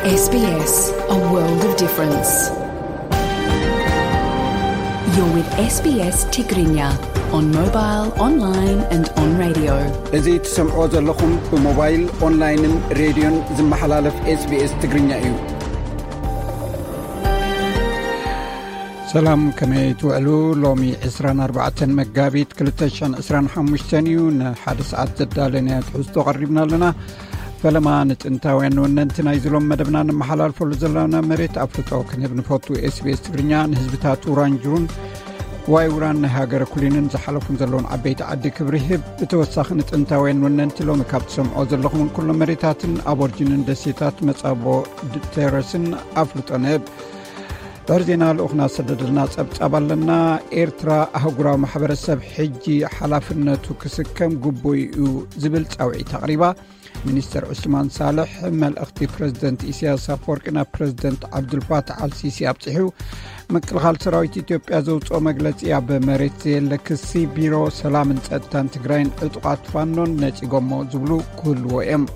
S B S, a world of difference. You're with S B S Tigrinya on mobile, online and on radio. እዚ ትሰምዖ ዘለኹም ብሞባይል፣ ኦንላይንን ሬድዮን ዝመሓላለፍ SBS ትግርኛ እዩ። ሰላም፣ ከመይ ትውዕሉ? ሎሚ ዕስራን ኣርባዕተን መጋቢት ክልተ ሽሕን ዕስራን ሓሙሽተን እዩ። ንሓደ ሰዓት ዘዳለናዮ ትሕዝቶ ቀሪብና ኣለና። ፈለማ ንጥንታውያን ወነንቲ ናይዚ ሎም መደብና ንመሓላልፈሉ ዘለና መሬት ኣፍልጦ ክንህብ ንፈቱ። SBS ትግርኛ ንህዝብታት ውራንጅሩን ዋይ ውራን ናይ ሃገረ ኩሊንን ዝሓለፉን ዘለውን ዓበይቲ ዓዲ ክብሪ ይህብ። ብተወሳኺ ንጥንታውያን ወነንቲ ሎሚ ካብ ትሰምዖ ዘለኹምን ኩሎም መሬታትን ኣቦርጅንን ደሴታት መጻቦ ድ-፣ ቴረስን ኣፍልጦ ንህብ። ድሕሪ ዜና ልኡኽና ዝሰደደልና ጸብጻብ ኣለና። ኤርትራ ኣህጉራዊ ማሕበረሰብ ሕጂ ሓላፍነቱ ክስከም ግቡእ እዩ ዝብል ጻውዒት ኣቕሪባ። ሚኒስተር ዑስማን ሳልሕ መልእኽቲ ፕረዚደንት ኢሳያስ ኣፈወርቂ ናብ ፕረዚደንት ዓብዱልፋታሕ ኣልሲሲ ኣብጺሑ። ምክልኻል ሰራዊት ኢትዮጵያ ዘውፅኦ መግለፂ ኣብ መሬት ዘየለ ክሲ። ቢሮ ሰላምን ጸጥታን ትግራይን ዕጡቓት ፋኖን ነፂጎሞ ዝብሉ ክህልዎ እዮም።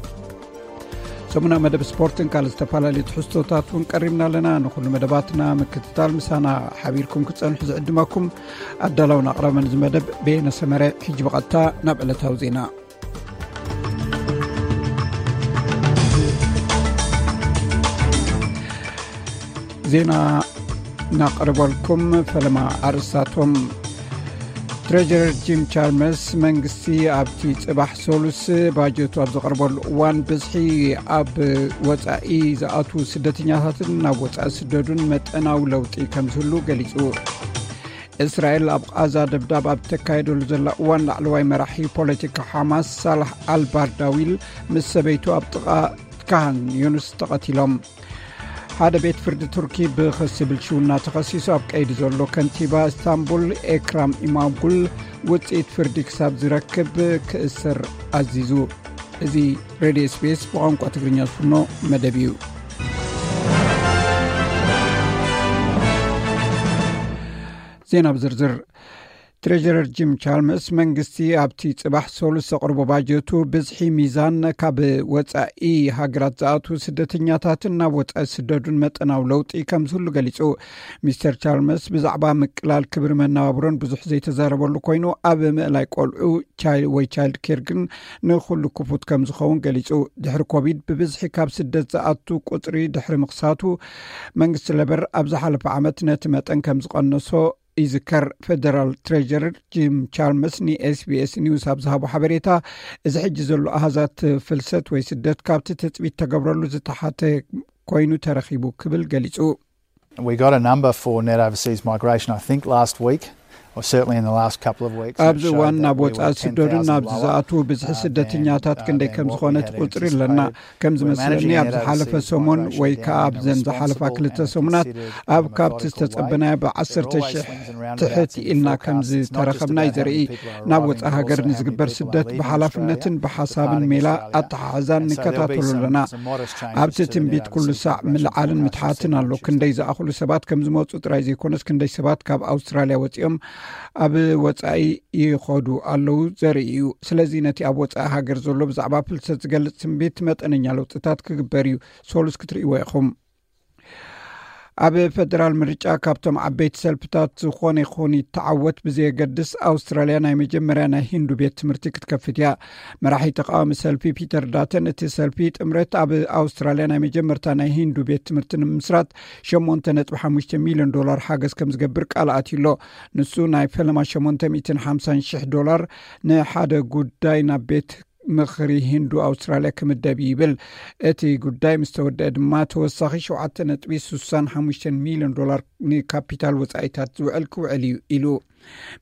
ሰሙና መደብ ስፖርትን ካልእ ዝተፈላለዩ ትሕዝቶታት እውን ቀሪብና ኣለና። ንኹሉ መደባትና ምክትታል ምሳና ሓቢርኩም ክትጸንሑ ዝዕድመኩም ኣዳላውን ኣቕራብን እዚ መደብ በየነ ሰመረ። ሕጂ ብቐጥታ ናብ ዕለታዊ ዜና። ዜና እናቕርበልኩም ፈለማ ኣርእስታቶም። ትሬጀረር ጂም ቻልመርስ መንግስቲ ኣብቲ ጽባሕ ሰሉስ ባጀቱ ኣብ ዘቕርበሉ እዋን ብዝሒ ኣብ ወጻኢ ዝኣትዉ ስደተኛታትን ናብ ወጻኢ ዝስደዱን መጠናዊ ለውጢ ከም ዝህሉ ገሊጹ። እስራኤል ኣብ ቓዛ ደብዳብ ኣብ ተካየደሉ ዘላ እዋን ላዕለዋይ መራሒ ፖለቲካ ሓማስ ሳላሕ ኣልባርዳዊል ምስ ሰበይቱ ኣብ ጥቓ ካህን ዮኑስ ተቐቲሎም። ሓደ ቤት ፍርዲ ቱርኪ ብኽሲ ብልሽውና ተኸሲሱ ኣብ ቀይዲ ዘሎ ከንቲባ እስታንቡል ኤክራም ኢማጉል ውጽኢት ፍርዲ ክሳብ ዝረክብ ክእሰር ኣዚዙ። እዚ ሬድዮ SBS ብቋንቋ ትግርኛ ዝፍኖ መደብ እዩ። ዜና ብዝርዝር። ትሬጀረር ጂም ቻልመርስ መንግስቲ ኣብቲ ጽባሕ ሰሉስ ዘቕርቦ ባጀቱ ብዝሒ ሚዛን ካብ ወጻኢ ሃገራት ዝኣትዉ ስደተኛታትን ናብ ወጻኢ ዝስደዱን መጠናዊ ለውጢ ከም ዝህሉ ገሊጹ። ሚስተር ቻልመርስ ብዛዕባ ምቅላል ክብሪ መነባብሮን ብዙሕ ዘይተዛረበሉ ኮይኑ፣ ኣብ ምእላይ ቆልዑ ቻይ-፣ ወይ ቻይልድ ኬር ግን ንኹሉ ክፉት ከም ዝኸውን ገሊጹ። ድሕሪ ኮቪድ ብብዝሒ ካብ ስደት ዝኣቱ ቁጽሪ ድሕሪ ምኽሳቱ፣ መንግስቲ ለበር ኣብ ዝሓለፈ ዓመት ነቲ መጠን ከም ዝቐነሶ ይዝከር። ፌደራል ትሬጀረር ጂም ቻልመርስ ን SBS ኒውስ ኣብ ዝሃቦ ሓበሬታ፣ እዚ ሕጂ ዘሎ ኣሃዛት ፍልሰት ወይ ስደት ካብቲ ትጽቢት ተገብረሉ ዝተሓተ ኮይኑ ተረኺቡ ክብል ገሊጹ። We got a number for net overseas migration, I think, last week, or certainly in the last couple of weeks, and it ኣብዚ showed እዋን that ናብ we were ወጻኢ ዝስደዱን ten thousand ናብዚ lower ዝኣትዉ ብዝሒ than, ስደተኛታት uh, ክንደይ than ከም what ዝኾነ we had ቁጽሪ ኣለና። Anticipated. ከም ዝመስለኒ ኣብ ዝሓለፈ ሰሙን ወይ ከዓ ኣብዘን ዝሓለፋ ክልተ ሰሙናት ኣብ ካብቲ ዝተጸበናዮ ብዓሰርተ ሽሕ ትሕት ኢልና ከም ዝተረኸብና እዩ ዘርኢ። ናብ ወጻኢ ሃገር ንዝግበር ስደት ብሓላፍነትን ብሓሳብን ሜላ ኣተሓሕዛን ንከታተሎ ኣለና። ኣብቲ ትንቢት ኩሉ ሳዕ ምልዓልን ምትሓትን ኣሎ። ክንደይ ዝኣኽሉ ሰባት ከም ዝመጹ ጥራይ ዘይኮነስ፣ ክንደይ ሰባት ካብ ኣውስትራልያ ወጺኦም ኣብ ወጻኢ ይኸዱ ኣለዉ ዘርኢ እዩ። ስለዚ ነቲ ኣብ ወጻኢ ሃገር ዘሎ ብዛዕባ ፍልሰት ዝገልጽ ትንቢት መጠነኛ ለውጥታት ክግበር እዩ። ሶሉስ ክትርእይዎ ኢኹም። ኣብ ፈደራል ምርጫ ካብቶም ዓበይቲ ሰልፍታት ዝኾነ ይኹን ይተዓወት ብዘየገድስ፣ ኣውስትራልያ ናይ መጀመርያ ናይ ሂንዱ ቤት ትምህርቲ ክትከፍት እያ። መራሒ ተቃዋሚ ሰልፊ ፒተር ዳተን፣ እቲ ሰልፊ ጥምረት ኣብ ኣውስትራልያ ናይ መጀመርታ ናይ ሂንዱ ቤት ትምህርቲ ንምምስራት ሸሞንተ ነጥቢ ሓሙሽተ ሚልዮን ዶላር ሓገዝ ከም ዝገብር ቃል ኣትዩ ኣሎ። ንሱ ናይ ፈለማ ሸሞንተ ሚእትን ሓምሳን ሽሕ ዶላር ንሓደ ጉዳይ ናብ ቤት ምኽሪ ሂንዱ ኣውስትራልያ ክምደብ እዩ ይብል። እቲ ጉዳይ ምስ ተወደአ ድማ ተወሳኺ ሸውዓተ ነጥቢ ስሳን ሓሙሽተን ሚልዮን ዶላር ንካፒታል ወጻኢታት ዝውዕል ክውዕል እዩ ኢሉ።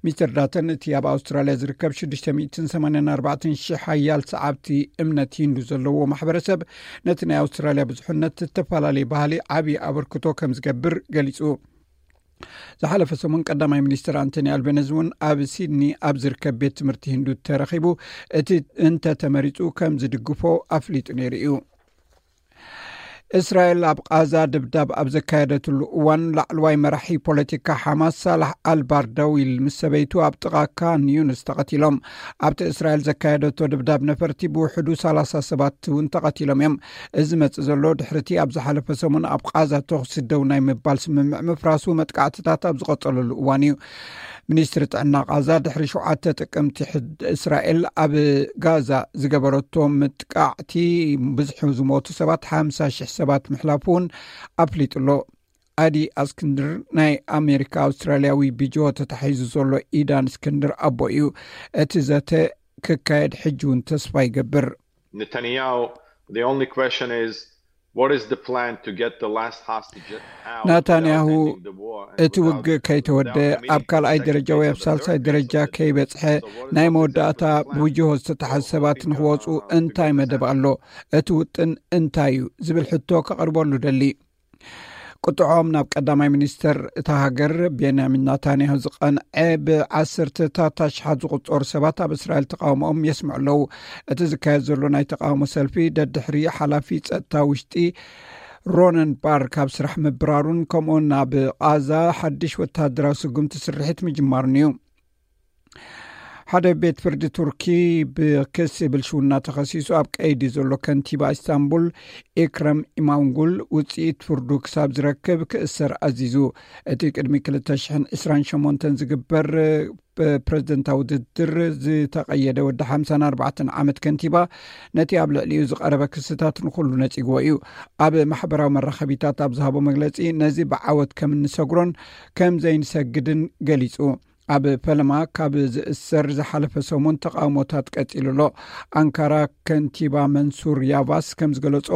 ሚስተር ዳተን፣ እቲ ኣብ ኣውስትራልያ ዝርከብ ሽዱሽተ ሚእትን ሰማንያን ኣርባዕተን ሽሕ ሓያል ሰዓብቲ እምነት ሂንዱ ዘለዎ ማሕበረሰብ ነቲ ናይ ኣውስትራልያ ብዙሕነት ዝተፈላለየ ባህሊ ዓብዪ ኣበርክቶ ከም ዝገብር ገሊጹ። ዝሓለፈ ሰሙን ቀዳማይ ሚኒስትር ኣንቶኒ ኣልቤነዝ እውን ኣብ ሲድኒ ኣብ ዝርከብ ቤት ትምህርቲ ሂንዱ ተረኺቡ እቲ እንተተመሪጹ ከም ዝድግፎ ኣፍሊጡ ነይሩ እዩ። እስራኤል ኣብ ቃዛ ድብዳብ ኣብ ዘካየደትሉ እዋን፣ ላዕለዋይ መራሒ ፖለቲካ ሓማስ ሳላሕ ኣልባርዳዊል ምስ ሰበይቱ ኣብ ጥቓ ካን ዩንስ ተቐቲሎም። ኣብቲ እስራኤል ዘካየደቶ ድብዳብ ነፈርቲ ብውሕዱ ሰላሳ ሰባት እውን ተቐቲሎም እዮም። እዚ መጽእ ዘሎ ድሕርቲ ኣብ ዝሓለፈ ሰሙን ኣብ ቃዛ ተኹሲ ደው ናይ ምባል ስምምዕ ምፍራሱ መጥቃዕትታት ኣብ ዝቐጸለሉ እዋን እዩ። ሚኒስትሪ ጥዕና ቃዛ ድሕሪ ሸውዓተ ጥቅምቲ ሕድ እስራኤል ኣብ ጋዛ ዝገበረቶ ምጥቃዕቲ ብዝሑ ዝሞቱ ሰባት ሓምሳ ሽሕ ሰባት ምሕላፉ እውን ኣፍሊጡ ኣሎ። ኣዲ ኣስክንድር ናይ ኣሜሪካ ኣውስትራልያዊ ብጅሆ ተታሒዙ ዘሎ ኢዳን እስክንድር ኣቦ እዩ። እቲ ዘተ ክካየድ ሕጂ እውን ተስፋ ይገብር። Netanyahu, the only question is, what is the plan to get the last hostage out ናታንያሁ without ending the war and እቲ without- ውግእ ከይተወደ without committing ኣብ ካልኣይ second ደረጃ ወይ phase ኣብ of the ሳልሳይ third ደረጃ phase of the ከይበጽሐ So what is ናይ the መወዳእታ plan? ብውጅሆ ዝተታሓዙ ሰባት ንክወፁ እንታይ መደብ ኣሎ? እቲ ውጥን እንታይ እዩ? ዝብል ሕቶ ከቕርበሉ ደሊ። ቁጥዖም ናብ ቀዳማይ ሚኒስተር እታ ሃገር ቤንያሚን ናታንያሁ ዝቐንዐ ብዓሰርተታት ኣሽሓት ዝቑጸሩ ሰባት ኣብ እስራኤል ተቃውሞኦም የስምዑ ኣለዉ። እቲ ዝካየድ ዘሎ ናይ ተቃውሞ ሰልፊ ደድሕሪ ሓላፊ ጸጥታ ውሽጢ ሮነን ባር ካብ ስራሕ ምብራሩን ከምኡውን ናብ ቃዛ ሓድሽ ወታደራዊ ስጉምቲ ስርሒት ምጅማሩን እዩ። ሓደ ቤት ፍርዲ ቱርኪ ብክሲ ብልሽውና ተኸሲሱ ኣብ ቀይዲ ዘሎ ከንቲባ ኢስታንቡል ኢክረም ኢማንጉል ውፅኢት ፍርዱ ክሳብ ዝረክብ ክእሰር ኣዚዙ። እቲ ቅድሚ ክልተ ሽሕን ዕስራን ሸሞንተን ዝግበር ፕሬዝደንታዊ ውድድር ዝተቐየደ ወዲ ሓምሳን ኣርባዕተን ዓመት ከንቲባ ነቲ ኣብ ልዕሊኡ ዝቐረበ ክስታት ንኹሉ ነጺግዎ እዩ። ኣብ ማሕበራዊ መራኸቢታት ኣብ ዝሃቦ መግለጺ ነዚ ብዓወት ከም እንሰግሮን ከም ዘይንሰግድን ገሊጹ። ኣብ ፈለማ ካብ ዝእሰር ዝሓለፈ ሰሙን ተቃውሞታት ቀጺሉ ኣሎ። ኣንካራ ከንቲባ መንሱር ያቫስ ከም ዝገለጾ፣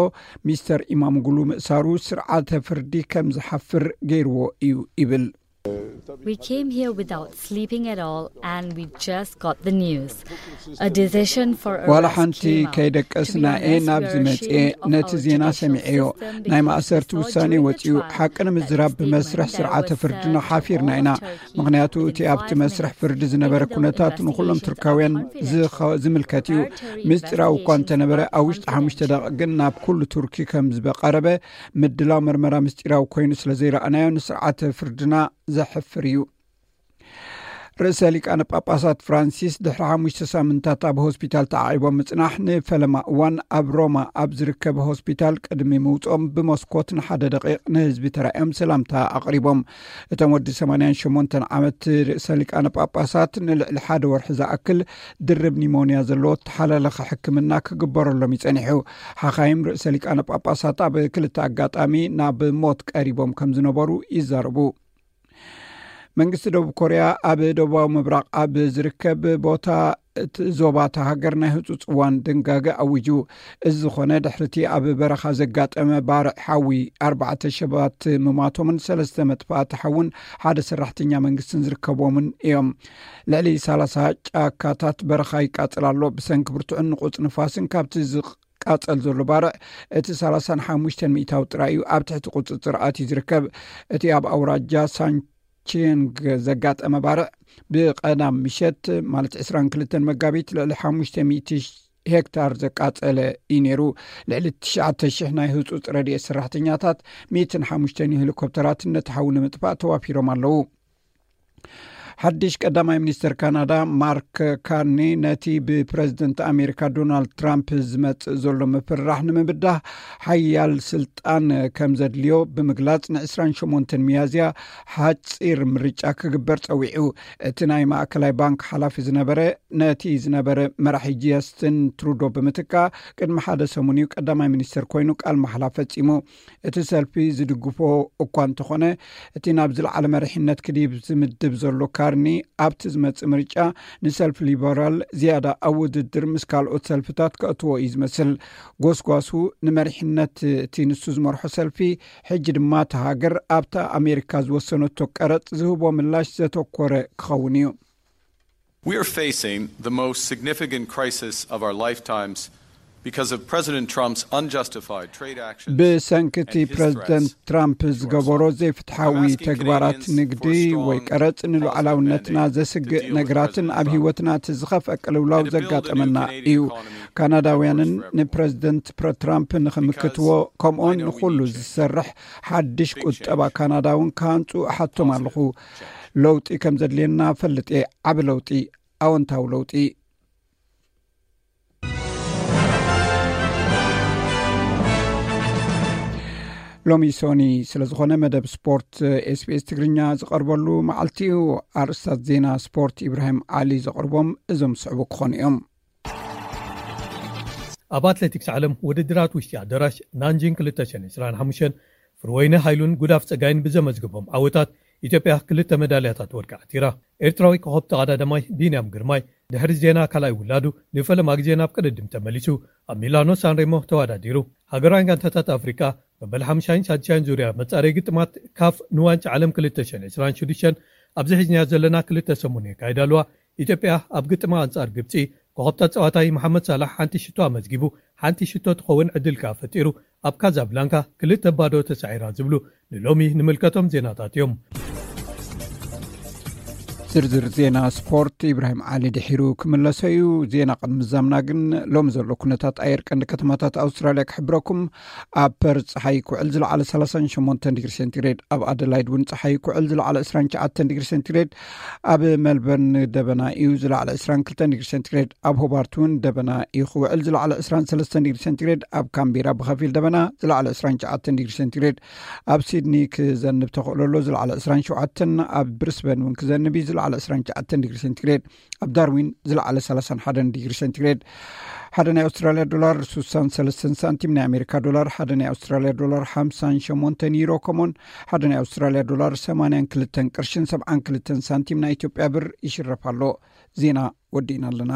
ሚስተር ኢማምጉሉ ምእሳሩ ስርዓተ ፍርዲ ከም ዝሓፍር ገይርዎ እዩ ይብል። We came here without sleeping at all, and we just got the news. A decision for ዋላ arrest ሓንቲ came out. ከይደቀስና እየ ናብዚ መፅኤ። ነቲ ዜና ሰሚዐዮ። ናይ ማእሰርቲ ውሳኔ ወፂኡ። ሓቂ ንምዝራብ ብመስርሕ ስርዓተ ፍርድና ሓፊርና ኢና። ምኽንያቱ እቲ ኣብቲ መስርሕ ፍርዲ ዝነበረ ኩነታት ንኹሎም ቱርካውያን ዝኸ- ዝምልከት እዩ። ምስጢራዊ እኳ እንተነበረ ኣብ ውሽጢ ሓሙሽተ ደቂቕ ግን ናብ ኩሉ ቱርኪ ከም ዝበቐረበ ምድላው መርመራ ምስጢራዊ ኮይኑ ስለ ዘይረኣናዮ ንስርዓተ ፍርድና ዘሕፍር እዩ። ርእሰ ሊቃነ ጳጳሳት ፍራንሲስ ድሕሪ ሓሙሽተ ሳምንታት ኣብ ሆስፒታል ተዓቒቦም ምጽናሕ ንፈለማ እዋን ኣብ ሮማ ኣብ ዝርከብ ሆስፒታል ቅድሚ ምውጾም ብመስኮት ንሓደ ደቂቕ ንህዝቢ ተራእዮም ሰላምታ ኣቕሪቦም። እቶም ወዲ ሰማንያን ሸሞንተን ዓመት ርእሰ ሊቃነ ጳጳሳት ንልዕሊ ሓደ ወርሒ ዝኣክል ድርብ ኒሞንያ ዘለዎ ተሓላለኸ ሕክምና ክግበረሎም ይጸኒሑ። ሓኻይም ርእሰ ሊቃነ ጳጳሳት ኣብ ክልተ ኣጋጣሚ ናብ ሞት ቀሪቦም ከም ዝነበሩ ይዛረቡ። መንግስቲ ደቡብ ኮርያ ኣብ ደቡባዊ ምብራቕ ኣብ ዝርከብ ቦታ እቲ ዞባ እታ ሃገር ናይ ህፁፅ እዋን ድንጋገ ኣዊጁ። እዚ ዝኾነ ድሕርቲ ኣብ በረኻ ዘጋጠመ ባርዕ ሓዊ ኣርባዕተ ሰባት ምማቶምን ሰለስተ መጥፋእቲ ሓውን ሓደ ሰራሕተኛ መንግስትን ዝርከቦምን እዮም። ልዕሊ ሰላሳ ጫካታት በረኻ ይቃፅል ኣሎ። ብሰንኪ ብርቱዕን ንቑፅ ንፋስን ካብቲ ዝቃፀል ዘሎ ባርዕ እቲ ሰላሳን ሓሙሽተን ሚእታዊ ጥራይ እዩ ኣብ ትሕቲ ቁፅፅር ኣትዩ ዝርከብ። እቲ ኣብ ኣውራጃ ሳንቺንግ ዘጋጠመ ባርዕ ብቐዳም ምሸት ማለት ዕስራን ክልተን መጋቢት ልዕሊ ሓሙሽተ ሚእቲ ሄክታር ዘቃጸለ እዩ ነይሩ። ልዕሊ ትሽዓተ ሽሕ ናይ ህጹጽ ረድኤት ሰራሕተኛታት፣ ሚእትን ሓሙሽተን ሄሊኮፕተራትን ነቲ ሓዊ ንምጥፋእ ተዋፊሮም ኣለዉ። ሓድሽ ቀዳማይ ሚኒስተር ካናዳ ማርክ ካርኒ ነቲ ብፕረዚደንት ኣሜሪካ ዶናልድ ትራምፕ ዝመጽእ ዘሎ ምፍርራሕ ንምብዳህ ሓያል ስልጣን ከም ዘድልዮ ብምግላጽ ን ዕስራን ሸሞንተን ሚያዝያ ሓጺር ምርጫ ክግበር ጸዊዑ። እቲ ናይ ማእከላይ ባንክ ሓላፊ ዝነበረ ነቲ ዝነበረ መራሒ ጃስትን ትሩዶ ብምትካ ቅድሚ ሓደ ሰሙን እዩ ቀዳማይ ሚኒስተር ኮይኑ ቃል ማሕላ ፈጺሙ። እቲ ሰልፊ ዝድግፎ እኳ እንተኾነ፣ እቲ ናብ ዝለዓለ መሪሕነት ክድይብ ዝምድብ ዘሎ ካርኒ ኣብቲ ዝመጽእ ምርጫ ንሰልፊ ሊበራል ዝያዳ ኣብ ውድድር ምስ ካልኦት ሰልፍታት ከእትዎ እዩ ዝመስል። ጎስጓሱ ንመሪሕነት እቲ ንሱ ዝመርሖ ሰልፊ ሕጂ ድማ እታ ሃገር ኣብታ ኣሜሪካ ዝወሰነቶ ቀረጽ ዝህቦ ምላሽ ዘተኮረ ክኸውን እዩ። We are facing the most significant crisis of our lifetimes Because of President Trump's unjustified trade actions ብሰንክቲ and his ፕሬዚደንት threats, ትራምፕ ዝገበሮ ዘይፍትሓዊ I'm asking ተግባራት Canadians ንግዲ for strong ወይ ቀረጽ policy ንሉዓላውነትና mandate ዘስግእ to deal with ነገራትን President ኣብ Trump ህይወትና እቲ ዝኸፍአ ቅልውላው and to build a new ዘጋጠመና Canadian እዩ። economy ካናዳውያንን that works for everyone. ንፕሬዚደንት ፕረ- ትራምፕ ንኽምክትዎ ከምኡን I know we ንኹሉ need change. ዝሰርሕ ሓድሽ Big ቁጠባ change. ካናዳውን ክሃንጹ እሓቶም ኣለኹ። ለውጢ ከም ዘድልየና ፈልጥ እየ። ዓቢ ለውጢ፣ ኣወንታዊ ለውጢ። ሎሚ ሶኒ ስለ ዝኾነ መደብ ስፖርት ኤስቢኤስ ትግርኛ ዝቐርበሉ መዓልቲ እዩ። ኣርእስታት ዜና ስፖርት ኢብራሂም ዓሊ ዘቕርቦም እዞም ዝስዕቡ ክኾኑ እዮም። ኣብ ኣትሌቲክስ ዓለም ውድድራት ውሽጢ ኣዳራሽ ናንጂን ክልተ ሽሕን ዕስራን ሓሙሽተን ፍርወይነ ሃይሉን ጉዳፍ ጸጋይን ብዘመዝግቦም ዓወታት ኢትዮጵያ ክልተ መዳልያታት ወርቂ ዓቲራ። ኤርትራዊ ኮኸብ ተቐዳዳማይ ቢንያም ግርማይ ድሕሪ ዜና ካልኣይ ውላዱ ንፈለማ ግዜ ናብ ቅድድም ተመሊሱ ኣብ ሚላኖ ሳንሬሞ ተወዳዲሩ። ሃገራውያን ጋንታታት ኣፍሪቃ መበል ሓምሻይን ሳድሻይን ዙርያ መጻረይ ግጥማት ካፍ ንዋንጫ ዓለም ክልተ ሽሕን ዕስራን ሽዱሽተን ኣብዚ ሒዝናዮ ዘለና ክልተ ሰሙን የካይዳ ኣለዋ። ኢትዮጵያ ኣብ ግጥማ ኣንጻር ግብጺ ኮኸብ ተጻዋታይ መሓመድ ሳላሕ ሓንቲ ሽቶ ኣመዝጊቡ፣ ሓንቲ ሽቶ ትኸውን ዕድል ከኣ ፈጢሩ ኣብ ካዛብላንካ ክልተ ባዶ ተሳዒራ ዝብሉ ንሎሚ ንምልከቶም ዜናታት እዮም። ዝርዝር ዜና ስፖርት ኢብራሂም ዓሊ ድሒሩ ክምለሶ እዩ። ዜና ቅድሚ ዛምና ግን ሎሚ ዘሎ ኩነታት ኣየር ቀንዲ ከተማታት ኣውስትራልያ ክሕብረኩም። ኣብ ፐርዝ ጸሓይ ክውዕል ዝለዓለ ሰላሳን ሸሞንተን ዲግሪ ሴንቲግሬድ፣ ኣብ ኣደላይድ እውን ጸሓይ ክውዕል ዝለዓለ ዕስራን ትሽዓተን ዲግሪ ሴንቲግሬድ፣ ኣብ ሜልበርን ደበና እዩ ዝለዓለ ዕስራን ክልተን ዲግሪ ሴንቲግሬድ፣ ኣብ ሆባርት እውን ደበና እዩ ክውዕል ዝለዓለ ዕስራን ሰለስተን ዲግሪ ሴንቲግሬድ፣ ኣብ ካምቤራ ብኸፊል ደበና ዝለዓለ ዕስራን ትሽዓተን ዲግሪ ሴንቲግሬድ፣ ኣብ ሲድኒ ክዘንብ ተኽእሎ ኣሎ ዝለዓለ ዕስራን ሸውዓተን፣ ኣብ ብሪስበን እውን ክዘንብ እዩ ዝለዓለ ዕስራን ትሽዓተን ዲግሪ ሴንቲግሬድ፣ ኣብ ዳርዊን ዝለዓለ ሰላሳን ሓደን ዲግሪ ሴንቲግሬድ። ሓደ ናይ ኣውስትራልያ ዶላር ሱሳን ሰለስተን ሳንቲም፣ ናይ ኣሜሪካ ዶላር ሓደ ናይ ኣውስትራልያ ዶላር ሓምሳን ሸሞንተን ዩሮ፣ ከምኡን ሓደ ናይ ኣውስትራልያ ዶላር ሰማንያን ክልተን ቅርሽን ሰብዓን ክልተን ሳንቲም ናይ ኢትዮጵያ ብር ይሽረፍ ኣሎ። ዜና ወዲእና ኣለና።